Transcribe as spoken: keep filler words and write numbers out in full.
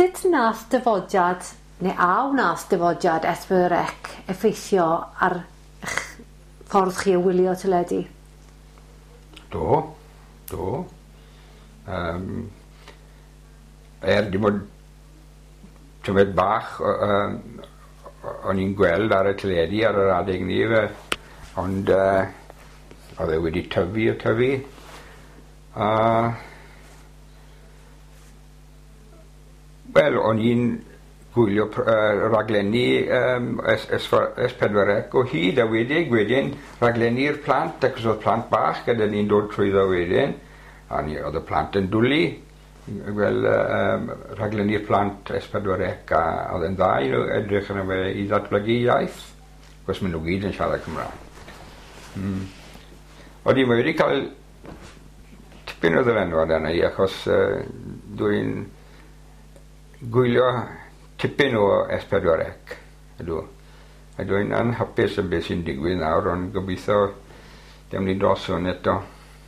Sut nath dyfodiad, neu a wnath dyfodiad S pedwar C effeithio ar eich ffordd chi o wylio teledu? Do, do. Um, er dim ond tymed bach um, o'n i'n gweld ar y teledu ar yr adeg ni fe, ond uh, oedd e wedi tyfu a tyfu. A wel, o'n i'n gwylio uh, raglenni um, S pedwar C o hyd, a wedyn, wedyn raglenni'r plant, ac oedd plant bach gyda ni'n dod trwyddo wedyn, a ni, oedd y plant yn dwlu, wel, um, raglenni'r plant S pedwar C, a oedd yn dda i nhw edrych arno fe i ddatblygu iaith, achos maen nhw gyd yn siarad Cymraeg. Mm. Odi, mae wedi cael tipyn o ddylanwad arna i, achos uh, dwi'n gwylio tipyn o S pedwar C, ydw. A dwi'n anhapus am beth sy'n digwydd nawr, ond gobeithio dewn ni dros hwn eto.